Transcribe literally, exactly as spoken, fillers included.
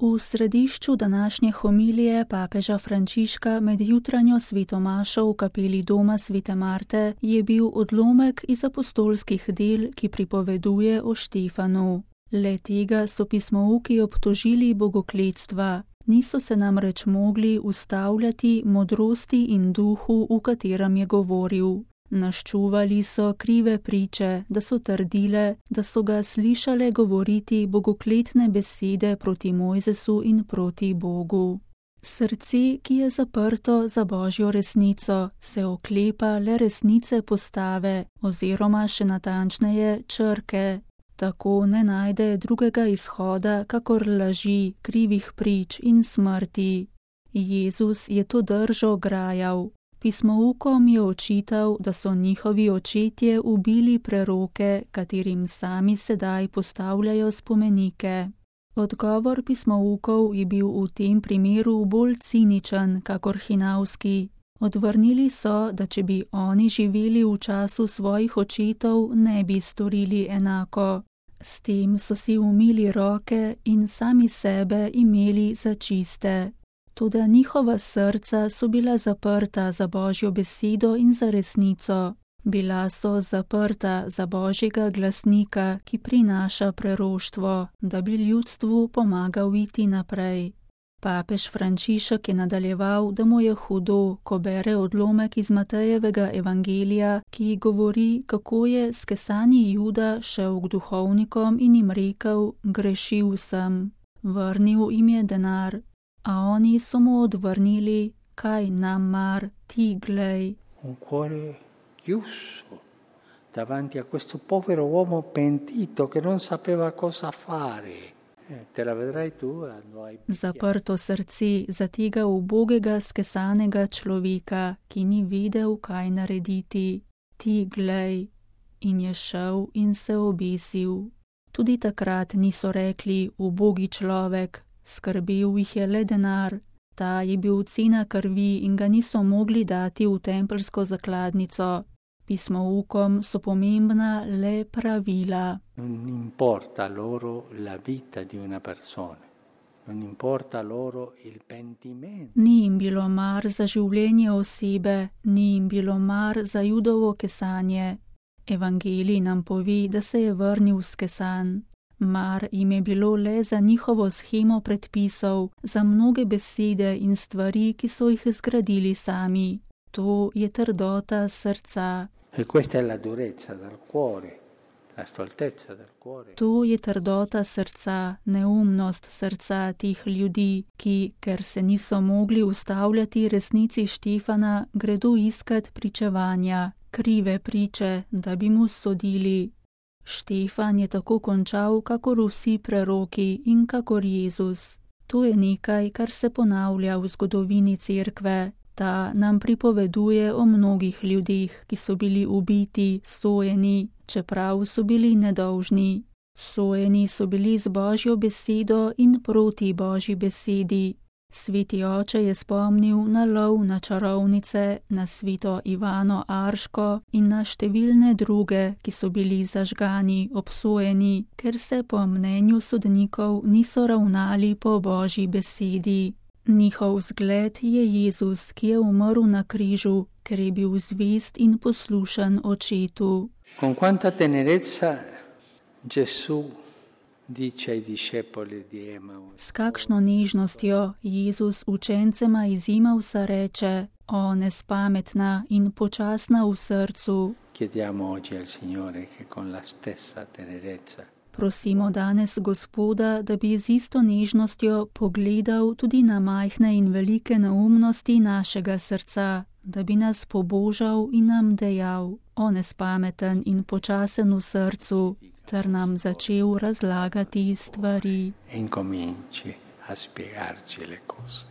V središču današnje homilije papeža Frančiška med jutranjo svetomašo v kapeli doma svete Marte je bil odlomek iz apostolskih del, ki pripoveduje o Štefanu. Le tega so pismouki obtožili bogokletstva, niso se namreč mogli ustavljati modrosti in duhu, v katerem je govoril. Naščuvali so krive priče, da so trdile, da so ga slišale govoriti bogokletne besede proti Mojzesu in proti Bogu. Srce, ki je zaprto za Božjo resnico, se oklepa le resnice postave oziroma še natančneje črke. Tako ne najde drugega izhoda, kakor laži, krivih prič in smrti. Jezus je to držo grajal. Pismoukom je očital, da so njihovi očetje ubili preroke, katerim sami sedaj postavljajo spomenike. Odgovor pismoukov je bil v tem primeru bolj ciničen, kakor hinavski. Odvrnili so, da če bi oni živeli v času svojih očetov, ne bi storili enako. S tem so si umili roke in sami sebe imeli za čiste. Toda njihova srca so bila zaprta za Božjo besedo in za resnico. Bila so zaprta za Božjega glasnika, ki prinaša preroštvo, da bi ljudstvu pomagal iti naprej. Papež Frančišek je nadaljeval, da mu je hudo, ko bere odlomek iz Matejevega evangelija, ki govori, kako je skesani Juda šel k duhovnikom in jim rekel: grešil sem. Vrnil jim je denar. A oni so mu odvrnili: kaj nam mar, ti glej. Un cuore chiuso davanti a questo povero uomo pentito che non sapeva cosa fare. Te la vedrai tu, hai... Zaprto srce za tega ubogega skesanega človeka, ki ni vedel, kaj narediti. Ti glej. In je šel in se obesil. Tudi takrat niso rekli: ubogi človek. Skrbel jih je le denar, ta je bil cena krvi in ga niso mogli dati v tempeljsko zakladnico. Pismoukom so pomembna le pravila. Non importa loro la vita di una persona, non importa loro il pentimento. Ni jim bilo mar za življenje osebe, ni jim bilo mar za Judovo kesanje. Evangelij nam pove, da se je vrnil skesan. Mar jim je bilo le za njihovo shemo predpisov, za mnoge besede in stvari, ki so jih zgradili sami. To je trdota srca. E questa è la durezza del cuore, la stoltezza del cuore. To je trdota srca, neumnost srca tih ljudi, ki, ker se niso mogli ustavljati resnici Štefana, gredo iskat pričevanja, krive priče, da bi mu sodili. Štefan je tako končal, kakor vsi preroki in kakor Jezus. To je nekaj, kar se ponavlja v zgodovini cerkve. Ta nam pripoveduje o mnogih ljudeh, ki so bili ubiti, sojeni, čeprav so bili nedolžni. Sojeni so bili z Božjo besedo in proti Božji besedi. Sveti oče je spomnil na lov na čarovnice, na sveto Ivano Arško in na številne druge, ki so bili zažgani, obsojeni, ker se po mnenju sodnikov niso ravnali po Božji besedi. Njihov zgled je Jezus, ki je umrl na križu, ker je bil zvest in poslušan očetu. Con quanta tenerezza Gesù dice ai discepoli di Emaus. S kakšno nežnostjo Jezus učencema iz Imausa reče: o nespametna in počasna v srcu. Chiediamo oggi al Signore che con la stessa tenerezza Prosimo danes Gospoda, da bi z isto nežnostjo pogledal tudi na majhne in velike neumnosti našega srca, da bi nas pobožal in nam dejal: o nespameten in počasen v srcu, ter nam začel razlagati stvari. E incominci a spiegarci le cose.